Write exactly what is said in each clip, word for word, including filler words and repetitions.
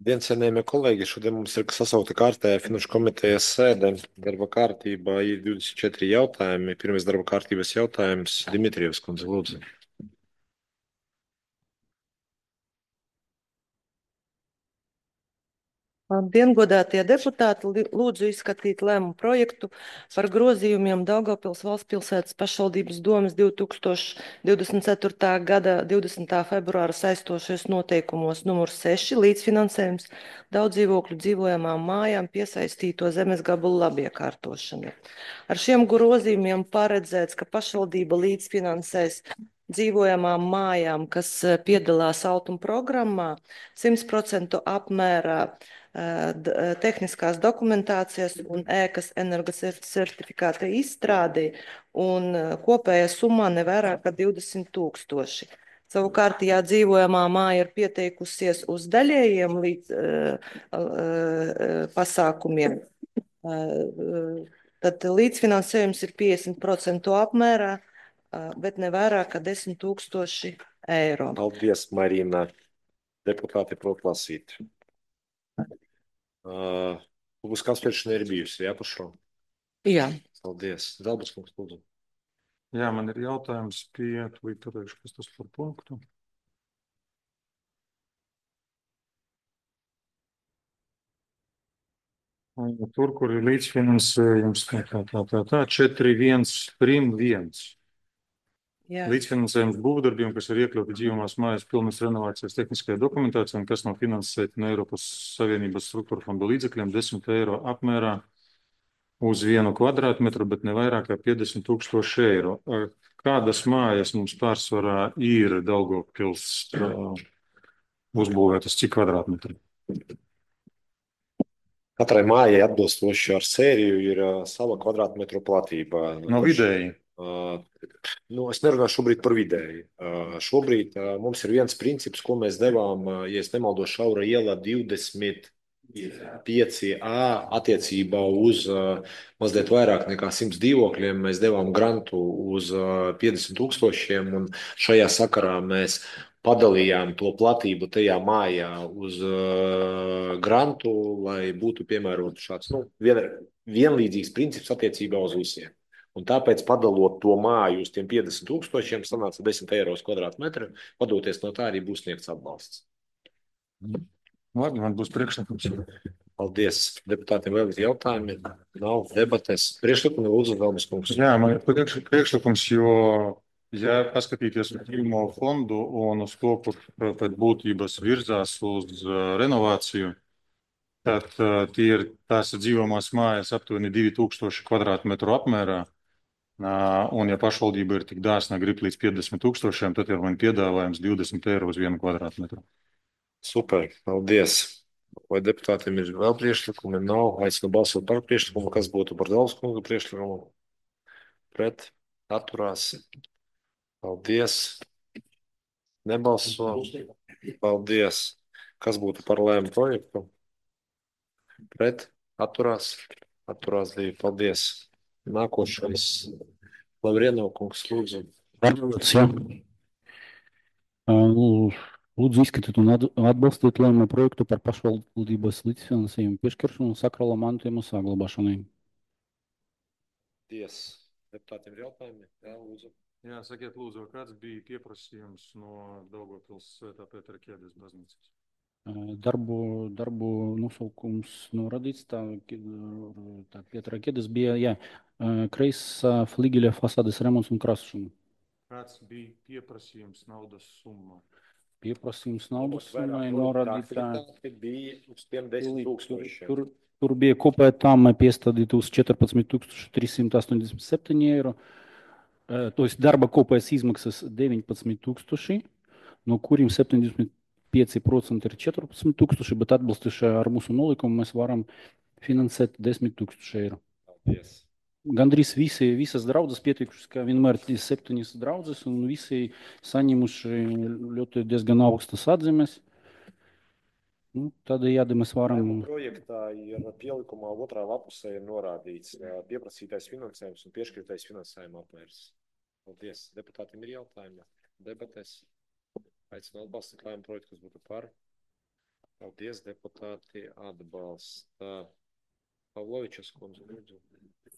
Dien, cienījamie kolēģi, šodien mums ir sasaukta kārtējā Finanšu komitejas sēde. Darba kārtībā ir divdesmit četri jautājumi. Pirmais darba kārtības jautājums - Dimitrijevs kundze, lūdzu. Labdien, godātie deputāti! Li- Lūdzu izskatīt lēmumu projektu par grozījumiem Daugavpils valstspilsētas pašvaldības domes divi tūkstoši divdesmit ceturtā gada divdesmitā februāra saistošais noteikumos numur seši līdzfinansējums daudz dzīvokļu dzīvojamām mājām piesaistīto zemes gabalu labiekārtošanai. Ar šiem grozījumiem paredzēts, ka pašvaldība līdzfinansēs dzīvojamām mājām, kas eh, piedalās autuma programmā, simt procentu apmērā d- tehniskās dokumentācijas un ēkas energocertifikāta izstrādi, un eh, kopējā summā nevairāk kā divdesmit tūkstoši. Savukārt, ja dzīvojamā māja ir pieteikusies uz daļējiem līdz, uh, uh, pasākumiem, uh, tad līdzfinansējums ir piecdesmit procentu apmērā, uh, bet ne vairāk kā desmit tūkstoši eiro. Paldies, Marina. Deputāti prot lasīt. Uh, Publiskā apspriešana ir bijusi, jā, par šo? Jā. Paldies. Zelbas kungs, lūdzu. Jā, man ir jautājums pie, tūlīt pateikšu, kas tas par punktu. Tur, kur ir līdzfinansējums, tā, tā, tā, tā, tā, četri viens prim viens. Jā. Līdzfinansējums būvdarbiem, kas ir iekļauti dzīvamās mājas pilnas renovācijas tehniskajā dokumentācijā un kas nav finansēti no Eiropas Savienības struktūra fonda līdzekļiem desmit eiro apmērā uz vienu kvadrātmetru, bet ne vairāk kā piecdesmit tūkstoši eiro. Kādas mājas mums pārsvarā ir Daugavpils uh, uzbūvētas, cik kvadrātmetri? Katrai mājai atbilstoši ar sēriju ir uh, sava kvadrātmetru platība. No vidēji. Uh, nu, es nerunāju šobrīd par vidēji. Uh, šobrīd uh, mums ir viens princips, ko mēs devām, uh, ja es nemaldos, Šaura ielā divdesmit pieci A attiecībā uz uh, mazliet vairāk nekā simts dzīvokļiem. Mēs devām grantu uz uh, piecdesmit tūkstošiem, un šajā sakarā mēs padalījām to platību tajā mājā uz uh, grantu, lai būtu piemērots šāds nu, vien, vienlīdzīgs princips attiecībā uz visiem. Un tāpēc, padalot to māju uz tiem piecdesmit tūkstošiem, sanāca desmit eiro uz kvadrātmetru. Padoties no tā, arī būs sniegts atbalsts. Labi, man būs priekšlikums. Paldies. Deputātiem vēl ir jautājumi? Nav debates. Priekšlikumi lūdzu, Velmes kungs. Jā, man ir priekš, priekšlikums, jo, ja paskatīties uz pirmo fondu un uz to, kur pēc būtības virzās uz uh, renovāciju, tad uh, tie ir tās dzīvamās mājas aptuveni divi tūkstoši kvadrātmetru apmērā. Uh, un, ja pašvaldība ir tik dāsna, grib līdz piecdesmit tūkstošiem, tad ir man piedāvājums divdesmit eiro uz vienu kvadrātmetru. Super, paldies. Vai deputātiem ir vēl priekšlikumi? Nav. Aicinu balsot par priekšlikumu. Kas būtu par Velmes kunga priekšlikumu? Pret? Atturās. Paldies. Nebalso. Paldies. Kas būtu par lēmu projektu? Pret? Atturās. Atturās divi. Paldies. Nākošais. Lavrienov kungs, lūdzu. Pārvaldes, jā. Uh, Lūdzu izskatīt un at- atbalstīt lēmumu projektu par pašvaldības līdzfinansējumu piešķiršanu sakrālā mantojuma saglabāšanai. Paldies. Deputātiem ir jautājumi? Jā, lūdzu. Jā, sakiet, lūdzu, kāds bija pieprasījums no Daugavpils Svētā Pētera Ķēdes baznīcas? Uh, Darbu, darbu nosaukums norādīts, tā, tā Pietra Ķedes bija, jā, uh, kreisā fligeļa fasādes remonts un krāsošana. Kāds bija pieprasījums naudas summā? Pieprasījums naudas summai norādītā. Bija uz tiem desmit tūkstošiem. Tur, tur bija kopēja tāma piestādīta uz četrpadsmit tūkstoši trīssimti astoņdesmit septiņi eiro. Uh, To jest darba kopējas izmaksas deviņpadsmit tūkstoši, no kuriem septiņdesmit pieci procenti ir četrpadsmit tūkstoši, bet atbilstoši ar mūsu nolikumu mēs varam finansēt desmit tūkstoši eiro. Paldies. Gandrīz visi, visas draudzes pieteikušas, ka vienmēr ir septiņas draudzes, un visi saņemuši ļoti diezgan augstas atzīmes. Nu, tādējādi mēs varam. Lēmuma projektā ir pielikumā otrā lapusē ir norādīts ā, pieprasītais finansējums un piešķirtais finansējuma apmērs. Paldies. Deputātiem ir jautājumi? Debates. Aicinu atbalstīt lēmumu projektu, kas būtu par. Paldies, deputāti. Atbalsta Pavlovičas kundze, lūdzu.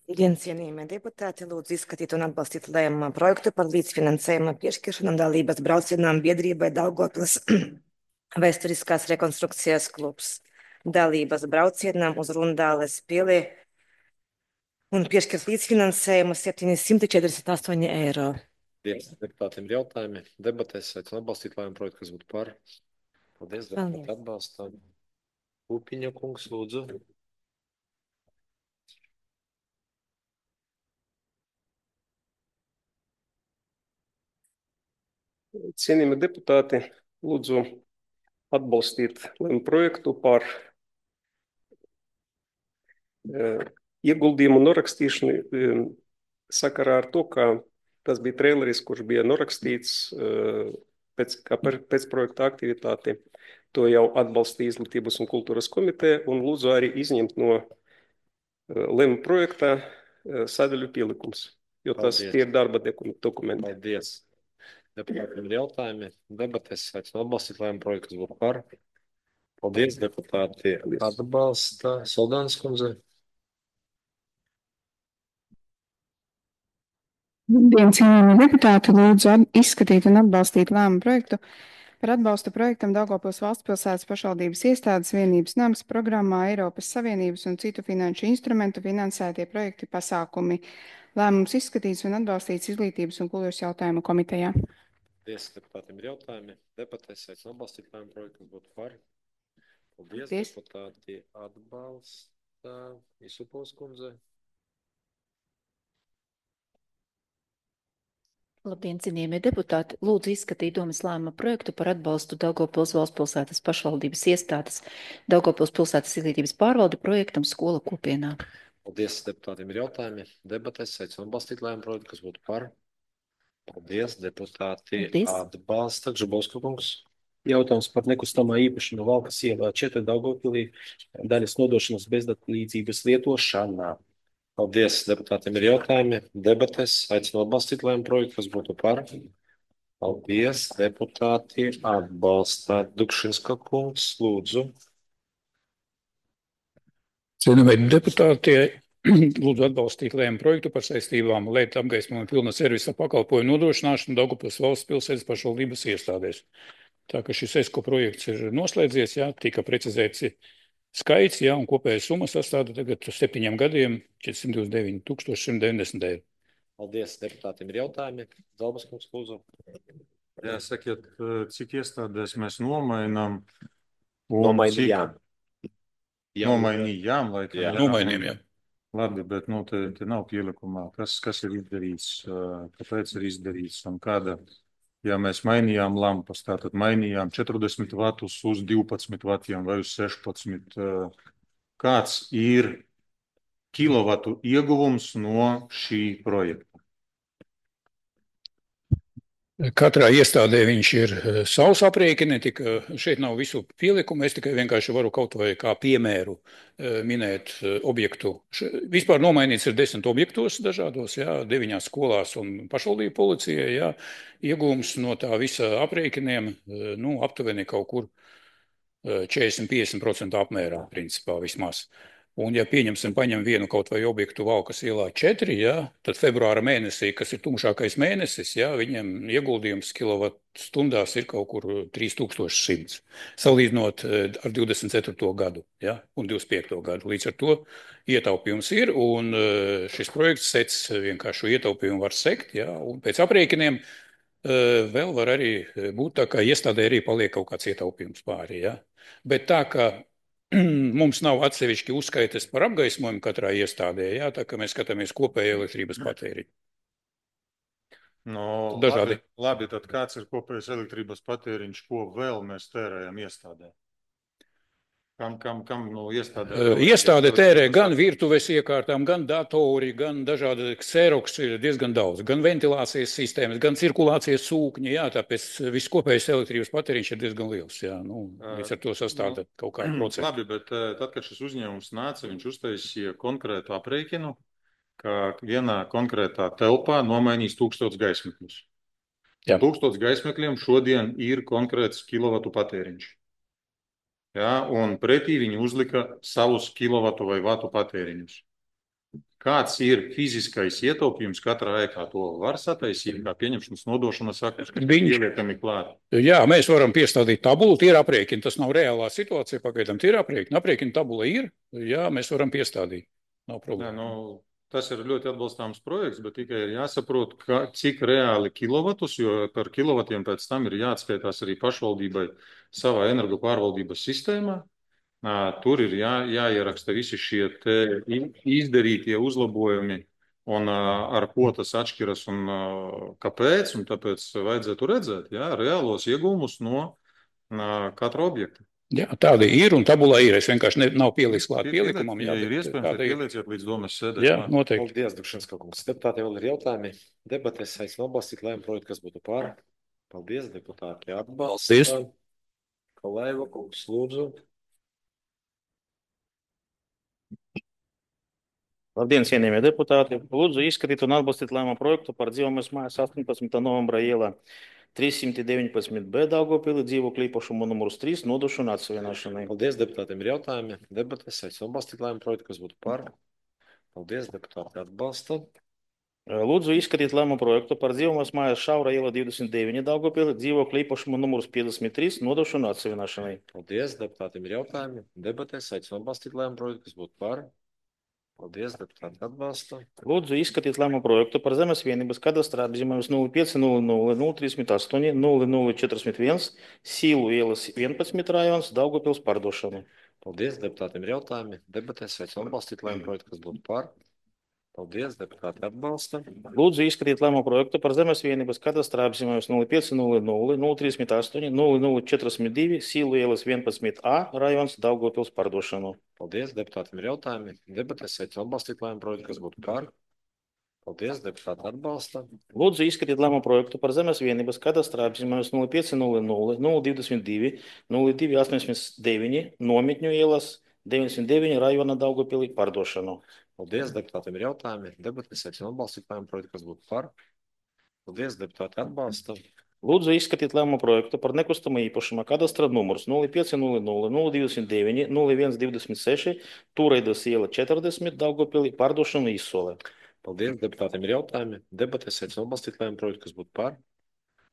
Dienas cienījamie deputāti, lūdzu izskatīt un atbalstīt lēmuma projektu par līdzfinansējuma piešķiršanu dalības braucienām biedrībai Daugavpils vēsturiskās rekonstrukcijas klubs. Dalības braucienām uz Rundāles pili un piešķirt līdzfinansējumu septiņsimt četrdesmit astoņi eiro. Paldies, deputātiem ir jautājumi. Debatēs aicinu atbalstīt lēmumu projektu, kas būtu par. Paldies, deputāti atbalstām. Upiņa kungs, lūdzu. Cienījami deputāti, lūdzu atbalstīt lēmumu projektu par uh, ieguldījumu norakstīšanu uh, sakarā ar to, ka tas bija traileris, kurš bija norakstīts uh, pēc, kā per, pēc projekta aktivitāti. To jau atbalstīja Izglītības un kultūras komiteja un lūdzu arī izņemt no uh, lēmumu projekta uh, sadaļu pielikums, jo tas Paldies. tie ir darba dokumenti. Paldies. Deputātiem ir jautājumi. Debatēs aicinu atbalstīt lēmumu projektu, kas būtu par. Paldies, deputāti atbalsta. Soldānas kundze. Labdien, cienījamie deputāti, lūdzu izskatīt un atbalstīt lēmumu projektu par atbalstu projektam Daugavpils valstspilsētas pašvaldības iestādes vienības nams programmā Eiropas Savienības un citu finanšu instrumentu finansētie projekti pasākumi. Lēmums izskatīts un atbalstīts Izglītības un kultūras jautājumu komitejā. Paldies, deputātiem ir jautājumi. Debatēs aicinu atbalstīt lēmumu projektu, kas būtu par. Paldies, Paldies. deputāti atbalsta. Isupovs kundze. Labdien, cienījamie deputāti! Lūdzu izskatīt domas lēmuma projektu par atbalstu Daugavpils valstspilsētas pašvaldības iestādes Daugavpils pilsētas izglītības pārvalde projektam Skola kopienā. Paldies, deputātiem ir jautājumi. Debatēs aicinu atbalstīt lēmumu projektu, kas būtu par. Paldies, deputāti Paldies. atbalsta. Gžabovska kungs. Jautājums par nekustamā īpašuma Valkas ielā četri Daugavpilī daļas nodošanas bezdalīdzības lietošanā. Paldies, deputātiem ir jautājumi. Debatēs aicinu atbalstīt lēmumu projektu, kas būtu par. Paldies, deputāti atbalsta. Dukšinska kungs, lūdzu. Cienījamie deputāti, lūdzu atbalstīt lēmumu projektu par saistībām lietu apgaismojumu pilna servisa pakalpojumu nodrošināšanu Daugavpils valsts pilsētas pašvaldības iestādēs. Tā ka šis ESCO projekts ir noslēdzies, jā, tika precizēts skaits, jā, un kopējā summa sastāda tagad septiņiem gadiem četrsimt divdesmit deviņi tūkstoši simt deviņdesmit eiro. Paldies, deputātiem ir jautājumi. Zalbas kungs, lūdzu. Jā, sakiet, cik iestādēs mēs nomainām? Nomainījām. Nomainījām, laikam. Jā. Nomainījām, jā. Labi, bet nu, te, te nav pielikumā. Kas, kas ir izdarīts, kāpēc ir izdarīts un kāda, ja mēs mainījām lampas, tātad mainījām četrdesmit vatus uz divpadsmit vatiem vai uz sešpadsmit. Kāds ir kilovatu ieguvums no šī projekta? Katrā iestādē viņš ir savs aprēķini, tika šeit nav visu pielikumu, es tikai vienkārši varu kaut vai kā piemēru minēt objektu. Vispār nomainīts ir desmit objektos dažādos, jā, deviņās skolās un pašvaldību policijai, jā, iegūms no tā visa aprēķiniem, nu, aptuveni kaut kur četrdesmit līdz piecdesmit procenti apmērā, principā vismaz. Un, ja pieņemsim, paņem vienu kaut vai objektu Valkas ielā četri, ja, tad februāra mēnesī, kas ir tumšākais mēnesis, ja, viņam ieguldījums kilovatstundās ir kaut kur trīs tūkstoši simts, salīdzinot ar divdesmit ceturto gadu, ja, un divdesmit piekto gadu. Līdz ar to ietaupījums ir, un šis projekts sec vienkārši ietaupījumu var sekt, ja, un pēc aprēķiniem vēl var arī būt tā, ka iestādē arī paliek kaut kāds ietaupījums pāri, ja. Bet tā, ka mums nav atsevišķi uzskaites par apgaismojumu katrā iestādē, jā, tā kā mēs skatāmies kopēju elektrības patēriņu. No, Dažādi. Labi, labi, tad kāds ir kopējais elektrības patēriņš, ko vēl mēs tērējam iestādē? Kam, kam, kam no iestādē? Uh, iestāde tērē gan virtuves iekārtām, gan datori, gan dažādi kseroks ir diezgan daudz, gan ventilācijas sistēmas, gan cirkulācijas sūkņi, jā, tāpēc viss kopējais elektrības patēriņš ir diezgan liels, jā, nu, līdz ar to sastāda uh, kaut kādu procentu. Labi, bet tad, kad šis uzņēmums nāca, viņš uztaisīja konkrētu aprēķinu, ka vienā konkrētā telpā nomainīs tūkstots gaismekļus. Tūkstots gaismekļiem šodien ir konkrēts kilovatu patēriņš. ja, un pretī viņi uzlika savus kilovatu vai vatu patēriņus. Kāds ir fiziskais ietaupījums katrā ēkā? To var sataisīt, kā pieņemšanas nodošanas aktus, kas Viņš- ieliekami klāt. Jā, mēs varam piestādīt tabulu, tie ir aprēķini. Tas nav reālā situācija, pagaidām tie ir aprēķini. Aprēķina tabula ir, jā, mēs varam piestādīt. Nav Jā, problēma. nu, tas ir ļoti atbalstāms projekts, bet tikai ir jāsaprot, ka, cik reāli kilovatus, jo par kilovatiem pēc tam ir jāatskaitās arī pašvaldībai savā energo pārvaldības sistēmā. Ā, Tur ir jā, jāieraksta visi šie te i- izdarītie uzlabojumi un ā, ar ko tas atšķiras un ā, kāpēc, un tāpēc vajadzētu redzēt, jā, reālos iegūmus no ā, katra objekta. Jā, tādi ir un tabulā ir. Es vienkārši ne, nav pieliks klāt Pie- pielikumam. Ja Jā, ir bet iespējams, tāda tad ir. pielieciet līdz domas sēdē. Jā, klāt. noteikti. Paldies, Dukšanska kungs. Deputātiem vēl ir jautājumi. Debatēs aicinu atbalstīt lēmumu projektu, kas būtu pār. Paldies, deputāti. Atbalsta. Paldies. Kalaiva kungs, lūdzu. Labdien, cienījamie deputāti! Lūdzu izskatīt un atbalstīt lēmumu projektu par dzīvojamas mājas astoņpadsmitā novembra ielā trīssimt deviņpadsmit B Daugavpilī dzīvokļu īpašumu numurs trīs nodošanu atsevienošanai. Paldies, deputātiem ir jautājumi. Debatēs aicinu atbalstīt lēmumu projektu, kas būtu pār. Paldies, deputāti. Atbalsta. Lūdzu izskatīt lēmumu projektu par dzīvojamas mājas Šaura iela divdesmit deviņi Daugavpilī dzīvokļu īpašumu numurs piecdesmit trīs nodošanu atsevienošanai. Paldies, deputātiem ir jautājumi. Debatēs aicinu atbalstīt lēmumu projektu, kas būtu pār. Paldies, deputāti. Atbalsta. Lūdzu izskatīt lēmumu projektu par zemes vienības kadastrā apzīmējums nulle pieci nulle nulle nulle trīsdesmit astoņi nulle nulle četrdesmit viens Sīlu ielas vienpadsmit rajons Daugavpils pārdošanu. Paldies, deputātiem ir jautājumi. Debatēs aicinu atbalstīt lēmumu projektu, kas būtu pār. Paldies, deputāti. Atbalsta. Lūdzu izskatīt lēmumu projektu par zemes vienības kadastrā apzīmējums nulle pieci nulle nulle nulle trīsdesmit astoņi nulle nulle četrdesmit divi Sīlu ielas vienpadsmit A rajons Daugavpils pārdošanu. Paldies, deputātiem ir jautājumi. Debatēs aicinu atbalstīt lēmumu projektu, kas būtu pār. Paldies, deputāti. Atbalsta. Lūdzu izskatīt lēmumu projektu par zemes vienības kadastrā apzīmējums nulle pieci nulle nulle nulle divdesmit divi nulle divi astoņdesmit deviņi Nometņu ielas deviņdesmit deviņi rajona Daugavpilī pārdošanu. Paldies, deputātiem ir jautājumi. Debatēs aicinu atbalstīt lēmumu projektu, kas būtu pār. Paldies, deputāti. Atbalsta. Lūdzu izskatīt lēmumu projektu par nekustamo īpašuma kadastra numurs nulle pieci nulle nulle nulle divdesmit deviņi nulle viens divdesmit seši Tūreidas iela četrdesmit Daugavpilī pārdošanu izsolē. Paldies, deputātiem ir jautājumi. Debatēs aicinu atbalstīt lēmumu projektu, kas būtu pār.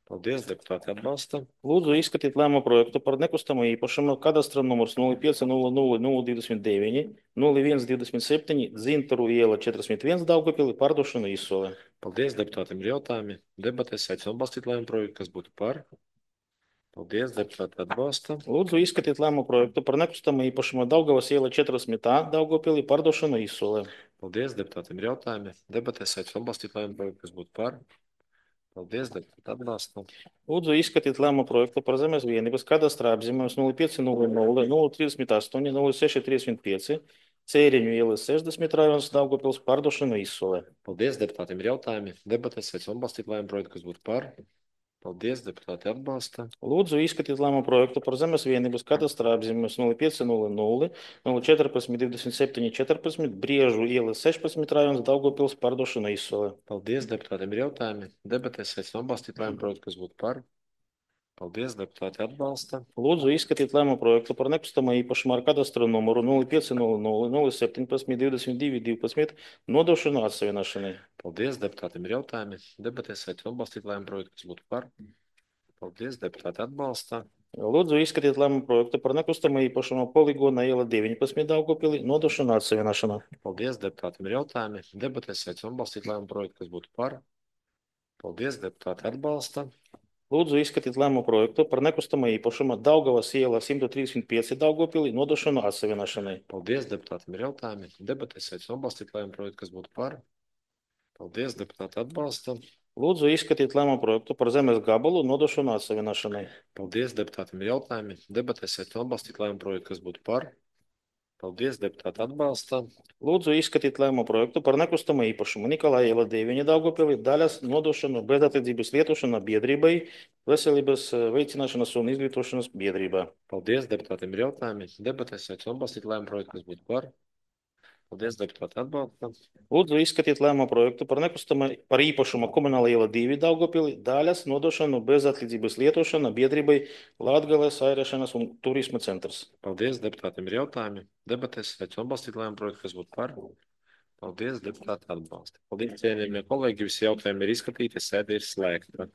Paldies, deputāti. Atbalsta. Lūdzu izskatīt lēmumu projektu par nekustamo īpašumu kadastra numurs nulle pieci nulle nulle nulle divdesmit deviņi nulle viens divdesmit septiņi Zintaru iela četrdesmit viens Daugavpilī pārdošanu izsolē. Paldies, deputātiem ir jautājumi. Debatēs aicinu atbalstīt lēmumu projektu, kas būtu pār. Paldies, deputāti. Atbalsta. Lūdzu izskatīt lēmumu projektu par nekustamo īpašumu Daugavas iela četrdesmit A Daugavpilī pārdošanu izsolē. Paldies, deputātiem ir jautājumi. Debatēs aicinu atbalstīt lēmumu projektu, kas būtu pār. Paldies, deputāti. Atbalsta. Lūdzu izskatīt lēmumu projektu par zemes vienības kadastrā apzīmējums nulle pieci nulle nulle nulle trīsdesmit astoņi nulle seši trīsdesmit pieci Cēriņu ielas sešdesmit rajons Daugavpils pārdošanu izsolē. Paldies, deputātiem ir jautājumi. Debatēs aicinu atbalstīt lēmumu projektu, kas būtu pār. Paldies, deputāti. Atbalsta. Lūdzu izskatīt lēmumu projektu par zemes vienības kadastrā apzīmējums nulle pieci nulle nulle nulle četrpadsmit divdesmit septiņi četrpadsmit Briežu ielas sešpadsmit rajons Daugavpils pārdošanu izsolē. Paldies, deputātiem ir jautājumi. Debatēs aicinu atbalstīt lēmumu projektu, kas būtu pār. Paldies, deputāti. Atbalsta. Lūdzu izskatīt lēmumu projektu par nekustamo īpašumu ar kadastra numuru nulle pieci nulle nulle nulle septiņpadsmit divdesmit divi divpadsmit nodošanu atsevienošanai. Paldies, deputātiem ir jautājumi. Debatēs aicinu atbalstīt lēmumu projektu, kas būtu pār. Paldies, deputāti. Atbalsta. Lūdzu izskatīt lēmumu projektu par nekustamo īpašumu Poligona iela deviņpadsmit Daugavpilī nodošanu atsevienošanai. Paldies, deputātiem ir jautājumi. Debatēs aicinu atbalstīt lēmumu projektu, kas būtu pār. Paldies, deputāti. Atbalsta. Lūdzu izskatīt lēmumu projektu par nekustamo īpašumu Daugavas iela simt trīsdesmit pieci Daugavpilī nodošanu atsevienošanai. Paldies, deputātiem ir jautājumi. Debatēs aicinu atbalstīt lēmumu projektu, kas būtu pār. Paldies, deputāti. Atbalsta. Lūdzu izskatīt lēmumu projektu par zemes gabalu nodošanu atsevienošanai. Paldies, deputātiem ir jautājumi. Debatēs aicinu atbalstīt lēmumu projektu, kas būtu pār. Paldies, deputāti. Atbalsta. Lūdzu izskatīt lēmumu projektu par nekustamo īpašumu Nikolai iela deviņi Daugavpilī daļas nodošanu bezatlīdzības lietošanā biedrībai veselības veicināšanas un izglītošanas biedrībā. Paldies, deputātiem ir jautājumi. Debatēs aicinu atbalstīt lēmumu projektu, kas būtu pār. Paldies, deputāti, atbalstam. Lūdzu izskatīt lēmumu projektu par nekustamā par īpašuma komunāla iela divi Daugavpilī daļas nodošanu bez atlīdzības lietošana biedrībai Latgales airēšanas un turisma centrs. Paldies, deputātiem ir jautājumi. Debatēs, aicinu atbalstīt lēmumu projektu, kas būtu par. Paldies, deputāti atbalsta. Paldies, cienījamie kolēģi, visi jautājumi ir izskatīti, sēde ir slēgta.